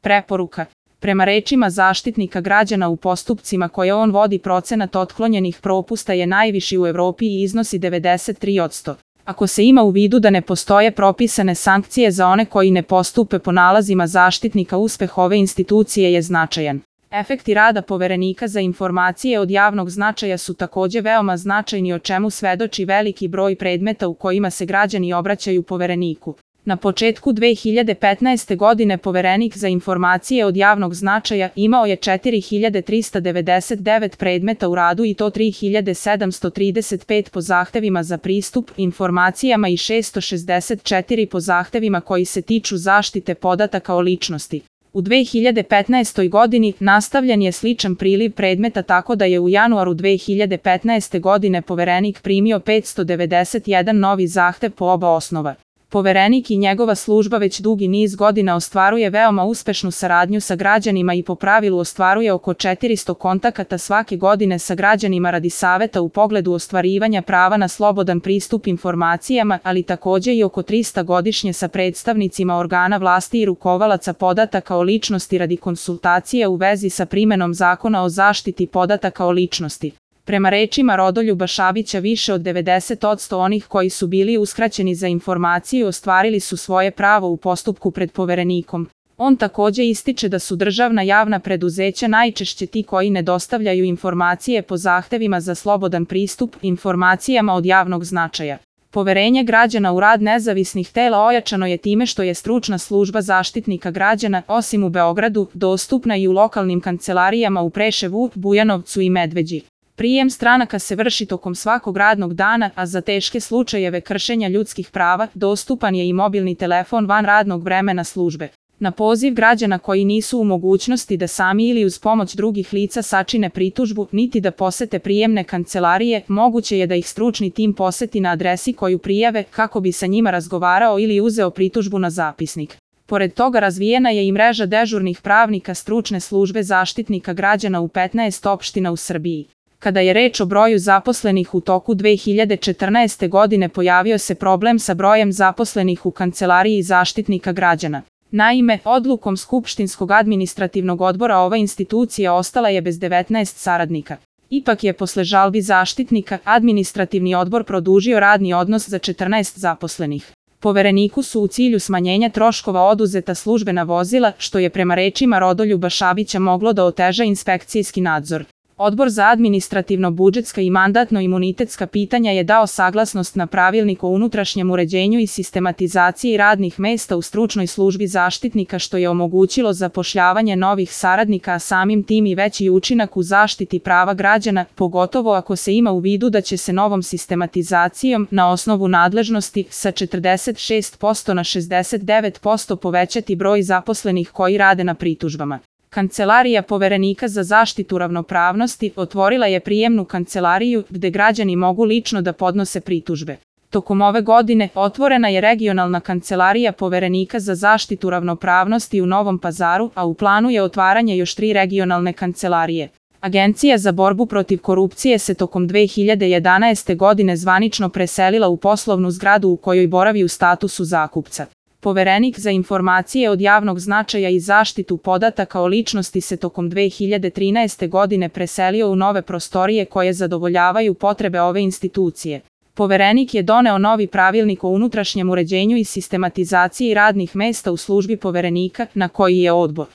Preporuka. Prema rečima Zaštitnika građana, u postupcima koje on vodi procenat otklonjenih propusta je najviši u Evropi i iznosi 93%. Ako se ima u vidu da ne postoje propisane sankcije za one koji ne postupe po nalazima Zaštitnika, uspeh ove institucije je značajan. Efekti rada Poverenika za informacije od javnog značaja su takođe veoma značajni, o čemu svedoči veliki broj predmeta u kojima se građani obraćaju Povereniku. Na početku 2015. godine Poverenik za informacije od javnog značaja imao je 4399 predmeta u radu, i to 3735 po zahtevima za pristup informacijama i 664 po zahtevima koji se tiču zaštite podataka o ličnosti. U 2015. godini nastavljen je sličan priliv predmeta, tako da je u januaru 2015. godine Poverenik primio 591 novi zahtev po oba osnova. Poverenik i njegova služba već dugi niz godina ostvaruje veoma uspešnu saradnju sa građanima i po pravilu ostvaruje oko 400 kontakata svake godine sa građanima radi saveta u pogledu ostvarivanja prava na slobodan pristup informacijama, ali takođe i oko 300 godišnje sa predstavnicima organa vlasti i rukovalaca podataka o ličnosti radi konsultacija u vezi sa primenom Zakona o zaštiti podataka o ličnosti. Prema rečima Rodoljuba Šabića, više od 90% onih koji su bili uskraćeni za informaciju ostvarili su svoje pravo u postupku pred Poverenikom. On takođe ističe da su državna javna preduzeća najčešće ti koji ne dostavljaju informacije po zahtevima za slobodan pristup informacijama od javnog značaja. Poverenje građana u rad nezavisnih tela ojačano je time što je stručna služba Zaštitnika građana, osim u Beogradu, dostupna i u lokalnim kancelarijama u Preševu, Bujanovcu i Medveđi. Prijem stranaka se vrši tokom svakog radnog dana, a za teške slučajeve kršenja ljudskih prava dostupan je i mobilni telefon van radnog vremena službe. Na poziv građana koji nisu u mogućnosti da sami ili uz pomoć drugih lica sačine pritužbu, niti da posete prijemne kancelarije, moguće je da ih stručni tim poseti na adresi koju prijave kako bi sa njima razgovarao ili uzeo pritužbu na zapisnik. Pored toga razvijena je i mreža dežurnih pravnika stručne službe Zaštitnika građana u 15 opština u Srbiji. Kada je reč o broju zaposlenih, u toku 2014. godine pojavio se problem sa brojem zaposlenih u kancelariji Zaštitnika građana. Naime, odlukom Skupštinskog administrativnog odbora ova institucija ostala je bez 19 saradnika. Ipak je posle žalbi Zaštitnika administrativni odbor produžio radni odnos za 14 zaposlenih. Povereniku su u cilju smanjenja troškova oduzeta službena vozila, što je prema rečima Rodoljuba Šabića moglo da oteža inspekcijski nadzor. Odbor za administrativno-budžetska i mandatno-imunitetska pitanja je dao saglasnost na pravilnik o unutrašnjem uređenju i sistematizaciji radnih mesta u stručnoj službi Zaštitnika, što je omogućilo zapošljavanje novih saradnika, a samim tim i veći učinak u zaštiti prava građana, pogotovo ako se ima u vidu da će se novom sistematizacijom na osnovu nadležnosti sa 46% na 69% povećati broj zaposlenih koji rade na pritužbama. Kancelarija Poverenika za zaštitu ravnopravnosti otvorila je prijemnu kancelariju gde građani mogu lično da podnose pritužbe. Tokom ove godine otvorena je regionalna kancelarija Poverenika za zaštitu ravnopravnosti u Novom Pazaru, a u planu je otvaranje još 3 regionalne kancelarije. Agencija za borbu protiv korupcije se tokom 2011. godine zvanično preselila u poslovnu zgradu u kojoj boravi u statusu zakupca. Poverenik za informacije od javnog značaja i zaštitu podataka o ličnosti se tokom 2013. godine preselio u nove prostorije koje zadovoljavaju potrebe ove institucije. Poverenik je doneo novi pravilnik o unutrašnjem uređenju i sistematizaciji radnih mesta u službi Poverenika, na koji je odbor